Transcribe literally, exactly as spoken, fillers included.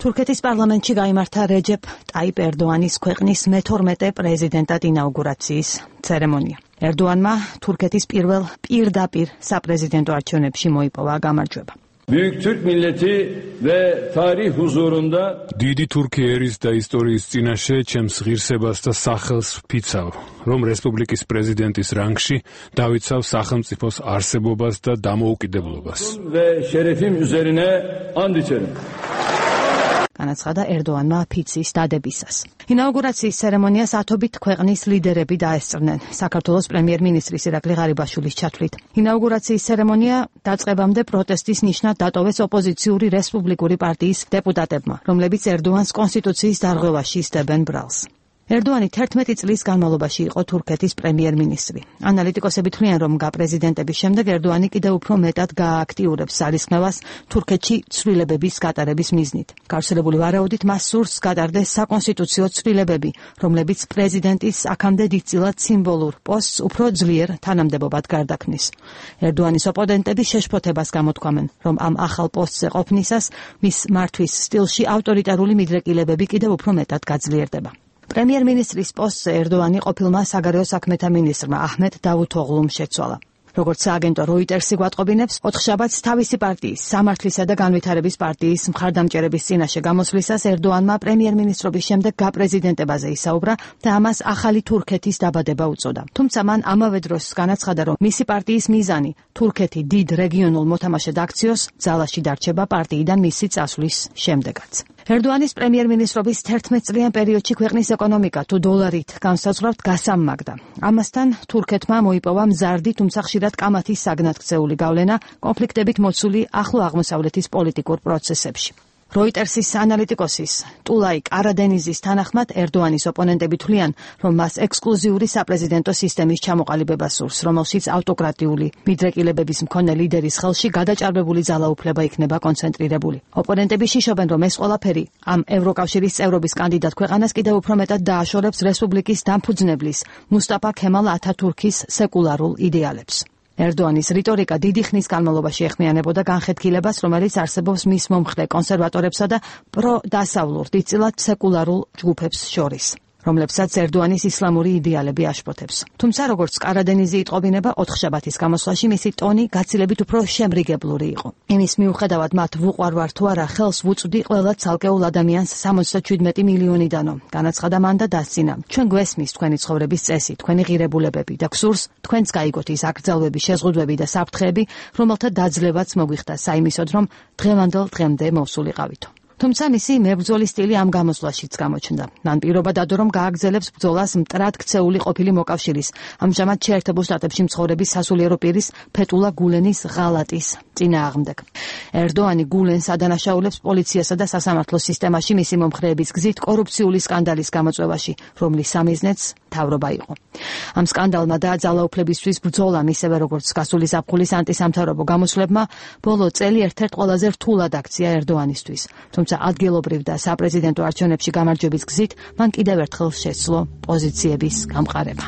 თურქეთის პარლამენტში გაიმართა რეჯეფ ტაიპ ერდოანის ქვეყნის მეთორმეტე პრეზიდენტად ინაუგურაციის ცერემონია. ერდოანმა თურქეთის პირველ პირდაპირ საპრეზიდენტო არჩევნებში მოიპოვა გამარჯვება. Büyük Türk milleti ve tarih huzurunda დიდი თურქი ერის და ისტორიის წინაშე ჩემს ღირსებას და სახელს ვფიცავ, რომ რესპუბლიკის პრეზიდენტის რანგში დავიცავ სახელმწიფოს არსებობას და დამოუკიდებლობას. ve şerefim üzerine and içerim. განაცხადა ერდოანმა ფიცის დადებისას. ინაუგურაციის ცერემონიას ათობით ქვეყნის ლიდერები დაესწრნენ, საქართველოს პრემიერ-მინისტრის ირაკლი ღარიბაშვილის ჩათვლით. ინაუგურაციის ცერემონია დაწყებამდე პროტესტის ნიშნად დატოვეს ოპოზიციური რესპუბლიკური პარტიის დეპუტატებმა, რომლებიც ერდოანს კონსტიტუციის დარღვევაში სდებენ ბრალს. ერდოანი თერთმეტი წლის განმავლობაში იყო თურქეთის პრემიერ-მინისტრი. ანალიტიკოსები თვლიან, რომ გაპრეზიდენტების შემდეგ ერდოანი კიდევ უფრო მეტად გაააქტიურებს ძალისხმევას თურქეთში ცვლილებების გატარების მიზნით. გავრცელებული ვარაუდით მას სურს გატარდეს საკონსტიტუციო ცვლილებები, რომლებიც პრეზიდენტის აქამდე დიდწილად სიმბოლურ პოსტს უფრო ძლიერ თანამდებობად გარდაქმნის. ერდოანის ოპონენტები შეშფოთებას გამოთქვამენ, რომ ამ ახალ პოსტზე ყოფნისას მის მართვის სტილში ავტორიტარული მიდრეკილებები კიდევ უფრო მეტად გაძლიერდება. პრემიერ-მინისტრის პოსტზე ერდოანი ყოფილმა საგარეო საქმეთა მინისტრმა აჰმედ დავუთოღლუმ შეცვალა. როგორც სააგენტო როიტერსი გვატყობინებს, ოთხშაბათს თავისი პარტიის, სამართლისა და განვითარების პარტიის მხარდამჭერების წინაშე გამოსვლისას ერდოანმა პრემიერ-მინისტრობის შემდეგ გაპრეზიდენტებაზე ისაუბრა და ამას ახალი თურქეთის დაბადება უწოდა. თუმცა მან ამავე დროს განაცხადა, რომ მისი პარტიის მიზანი თურქეთი დიდ რეგიონულ მოთამაშედ აქციოს ძალაში დარჩება პარტიიდან მისი წასვლის შემდეგაც. ერდოანის პრემიერ-მინისტრობის თერთმეტ წლიან პერიოდში ქვეყნის ეკონომიკა თუ დოლარით განსაზღვრავთ გასამმაგდა. ამასთან თურქეთმა მოიპოვა მზარდი, თუმცა ხშირად კამათის საგნად ქცეული გავლენა კონფლიქტებით მოცული ახლო აღმოსავლეთის პოლიტიკურ პროცესებში. როიტერსის ანალიტიკოსის ტულაი კარადენიზის თანახმად ერდოანის ოპონენტები თვლიან, რომ მას ექსკლუზიური საპრეზიდენტო სისტემის ჩამოყალიბება სურს, რომელშიც ავტოკრატიული მიდრეკილებების მქონე ლიდერის ხელში გადაჭარბებული ძალაუფლება იქნება კონცენტრირებული. ოპონენტები შიშობენ, რომ ეს ყველაფერი ამ ევროკავშირის წევრობის კანდიდატ ქვეყანას კიდევ უფრო მეტად დააშორებს რესპუბლიკის დამფუძნებლის მუსტაფა ქემალ ათათურქის სეკულარულ იდეალებს. ერდოანის რიტორიკა დიდი ხნის განმავლობაში ეხმიანებოდა განხეთქილებას, რომელიც არსებობს მის მომხრე კონსერვატორებსა და პრო-დასავლურ, დიდწილად სეკულარულ ჯგუფებს შორის, რომლებსაც ერდოანის ისლამური იდეალები აშფოთებს. თუმცა, როგორც კარადენიზი იტყობინება, ოთხშაბათის გამოსვლაში მისი ტონი გაცილებით უფრო შემრიგებლური იყო. იმის მიუხედავად, მათ ვუყვარვარ თუ არა, ხელს ვუწვდი ყველა ცალკეულ ადამიანს სამოცდაშვიდმეტი მილიონიდანო. განაცხადა მან და დასცინა: ჩვენ გვესმის თქვენი ცხოვრების წესი, თქვენი ღირებულებები და გსურს თქვენც გაიგოთ ის აკრძალვები, შეზღუდვები და საფრთხეები, რომელთა დაძლევაც მოგვიხდა საიმისოდ, რომ დღევანდელ დღემდე მოვსულიყავითო. თუმცა მისი მებრძოლის სტილი ამ გამოსვლაშიც გამოჩნდა. მან პირობა დადო, რომ გააგრძელებს ბრძოლას მტრად ქცეული ყოფილი მოკავშირის, ამჟამად შეერთებულ შტატებში მცხოვრების სასულიერო პირის ფეტულა გულენის ღალატის წინააღმდეგ. ერდოანი გულენს ადანაშაულებს პოლიციასა და სასამართლო სისტემაში მისი მომხრეების გზით კორუფციული სკანდალის გამოწვევაში, რომლის სამიზნეც მთავრობა იყო. ამ სკანდალმა და ძალაუფლებისთვის ბრძოლამ, ისევე როგორც გასული ზაფხულის ანტისამთავრობო გამოსვლებმა, ბოლო წელი ერთ-ერთ ყველაზე რთულად აქცია ერდოანისთვის. თუმცა ადგილობრივ და საპრეზიდენტო არჩევნებში გამარჯვების გზით მან კიდევ ერთხელ შეძლო პოზიციების გამყარება.